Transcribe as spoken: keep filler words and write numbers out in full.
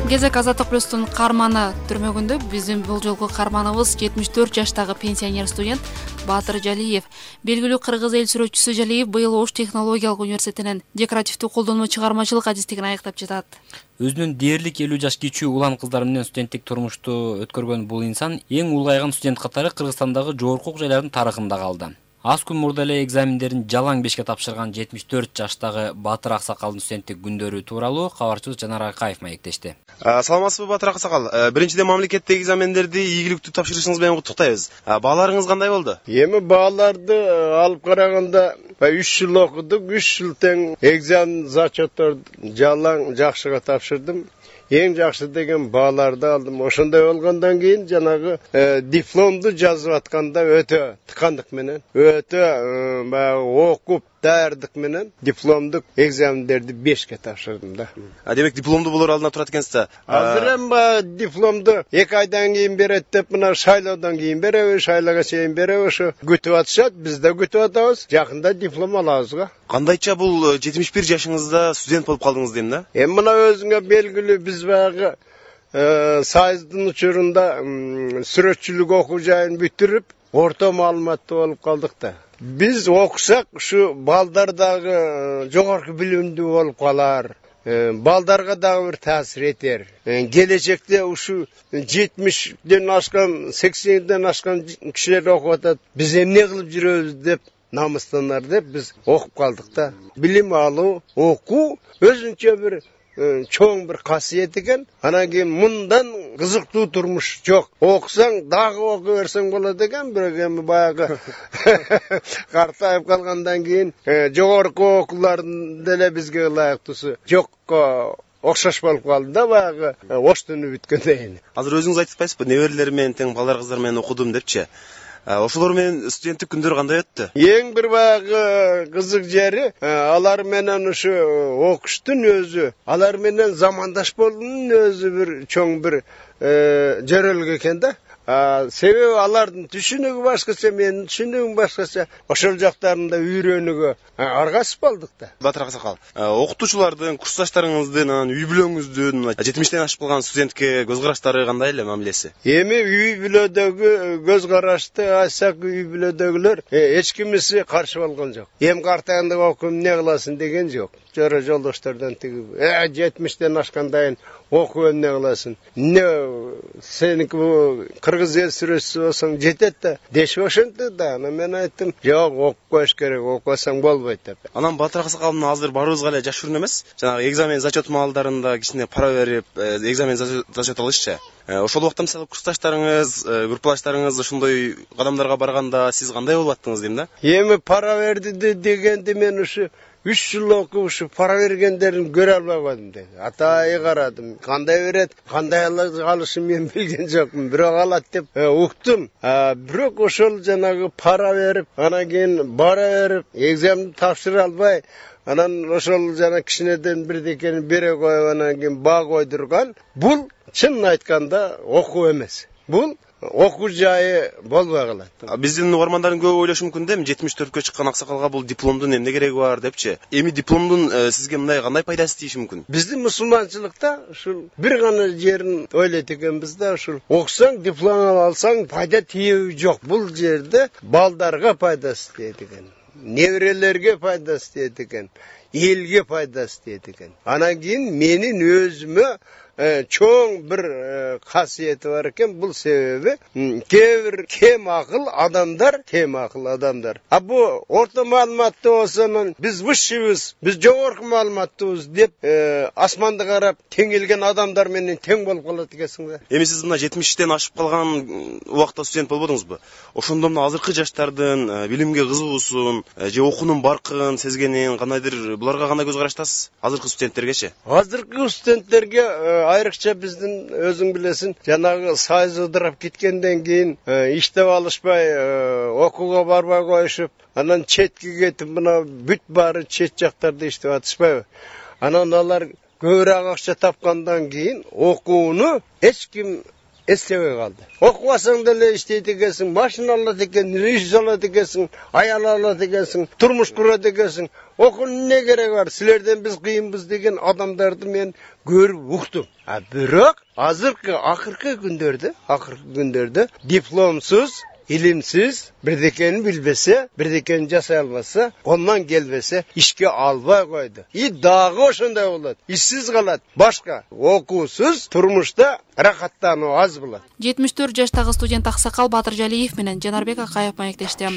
Кезек Азаттык плюстун каарманы түрмөгүндө. Биздин бул жолку каарманыбыз жетимиш төрт жаштагы пенсионер студент Баатыр Жалиев. Белгилүү кыргыз эл сүрөтчүсү Жалиев быйыл Ош технологиялык университетинен декоративдүү колдонмо чыгармачылык адистигин аяктап жатат. Өзүнүн дээрлик элүү жаш кичүү улан кыздар менен студенттик турмушту өткөргөн бул инсан эң улгайган студент катары Кыргызстандагы жогорку окуу жайлардын тарыхында калды. Аз күн мурда эле экзамендерин жалаң бешке тапшырган жетимиш төрт жаштагы Баатыр Аксакалдын студенттик күндөрү тууралуу кабарчыбыз Жанар Акаев маектешти. Саламатсызбы Баатыр Аксакал? Биринчиден мамлекеттик экзамендерди ийгиликтүү тапшырышыңыз менен куттуктайбыз. Бааларыңыз кандай болду? Эми бааларды алып караганда үч жыл окудук, үч жыл тең экзамен зачеттер жалаң жакшыга тапшырдым. Эң жакшы деген бааларды алдым. Ошондой болгондон кийин жанагы дипломду жазып атканда өтө тыкандык менен, өтө баягы окуп даярдык менен дипломдук экзамендерди бешке тапшырдым да. А демек дипломду болор алдына турат экенсиз да. Азыр эми дипломду эки айдан кийин берет деп мына шайлоодон кийин беребиз, шайлоого чейин беребиз. Ошо күтүп атышат, биз да күтүп атабыз. Жакында диплом алабыз го. Кандайча бул жетимиш бир жашыңызда студент болуп калдыңыз дейм да? Эми мына өзүңө белгилүү, биз баягы Союздун учурунда сүрөтчүлүк окуу жайын бүтүрүп, орто маалыматтуу болуп калдык да. Биз окусак, ушу балдар дагы жогорку билимдүү болуп калар. Балдарга дагы бир таасир этер. Келечекте ушу жетимиштен ашкан, сексенден ашкан кишилер окуп атат. Биз эмне кылып жүрөбүз деп намыстанар деп биз окуп калдык да. Билим алуу, окуу өзүнчө бир чоң бир касиет экен. Анан кийин мындан кызыктуу турмуш жок. Окусаң дагы окуп берсең болот экен, бирок эми баягы картайып калгандан кийин жогорку окуулардын деле бизге ылайыктуусу жокко окшош болуп калды да, баягы оштуну бүткөндөн кийин. Азыр өзүңүз айтып атпайсызбы, неберелер менен тең балдар кыздар менен окудум депчи. Ошолор менен студенттик күндөр кандай өттү? Эң бир баягы кызык жери, алар менен ушу окуштун өзү, алар менен замандаш болуунун өзү бир чоң бир жөрөлүк экен да. Себеби алардын түшүнүгү башкача, менин түшүнүгүм башкача. Ошол жактарында үйрөнүүгө аргасып калдык да. Баатыр Аксакал, окутуучулардын, курсташтарыңыздын, анан үй бүлөңүздүн жетимиштен ашып калган студентке көз караштары кандай эле, мамилеси? Эми үй бүлөдөгү көз карашты айтсак, үй бүлөдөгүлөр эч кимиси каршы болгон жок. Эми картайганда окуп эмне кыласың деген жок. Жора жолдоштордон тиги жетимиштен ашкандан окуп эмне кыласың? Не сеники кыргыз эл сүрөтчүсү болсоң жетет да. Дешип ошентти да. Анан мен айттым, жок, окуп коюш керек, окубасаң болбойт деп. Анан Баатыр Аксакал, азыр баарыбызга эле жашыруун эмес. Жанагы экзамен зачет маалдарында кичине пара берип, экзамен зачет алышчы. Ошол убакта мисалы курсташтарыңыз, группалаштарыңыз ошондой кадамдарга барганда сиз кандай болуп аттыңыз дейм да? Эми пара берди дегенди мен ушу үч жыл окуп ушу пара бергендерин көрө албай койдум деди. Атайы карадым. Кандай берет, кандай алышын мен билген жокмун. Бирок алат деп уктум. Бирок ошол жанагы пара берип, анан кийин бара берип, экзаменди тапшыра албай, анан ошол жана кичинеден бирдекени бере коюп, анан кийин баа койдурган. Бул чынын айтканда окуу эмес. Бул окуу жайы болбой калат. Биздин угармандардын көбү ойлошу мүмкүн да, жетимиш төрткө чыккан Аксакалга бул дипломдун эмне кереги бар депчи. Эми дипломдун сизге мындай кандай пайдасы тийиши мүмкүн? Биздин мусулманчылыкта ушул бир гана жерин ойлойт экенбиз да, ушул окусаң, диплом алсаң пайда тийеби жок. Бул жерде балдарга пайдасы тиет экен, неберелерге пайдасы тиет экен, элге пайдасы тиет экен. Анан кийин менин өзүмө чоң бир касиети бар экен. Бул себеби кээ бир кем акыл адамдар, кем акыл адамдар. А бу орто маалыматтуу болсо, биз высшийбиз, биз жогорку маалыматтуубуз деп асманды карап тең келген адамдар менен тең болуп калат экенсиң да. Эми сиз мына жетимиштен ашып калган убакта студент болбодуңузбу? Ошондо мына азыркы жаштардын билимге кызыгуусун, же окуунун баркын сезгенин кандайдыр, буларга кандай көз караштасыз? Азыркы студенттергечи? Азыркы студенттерге айрыкча биздин өзүң билесиң, жанагы Союз ыдырап кеткенден кийин иштеп алышпай, окууга барбай коюшуп, анан четке кетип, мына бүт баары чет жактарда иштеп атышпайбы? Анан алар көбүрөөк акча тапкандан кийин окууну эч ким эстебей калды. Окубасаң деле иштейт экенсиң, машина алат экен, иш алат экенсиң, аял алат экенсиң, турмуш курат экенсиң. Окуунун эмне кереги бар? Силерден биз кыйынбыз деген адамдарды мен көрүп уктум. А бирок азыркы акыркы күндөрдө, акыркы күндөрдө дипломсуз, илимсиз, бирдекени билбесе, бирдекени жасай албаса, колунан келбесе, ишке албай койду. И дагы ошондой болот. Ишсиз калат. Башка окуусуз турмушта рахаттануу аз болот. жетимиш төрт жаштагы студент Аксакал Батыржалиев менен Жанарбек Акаев маектешти.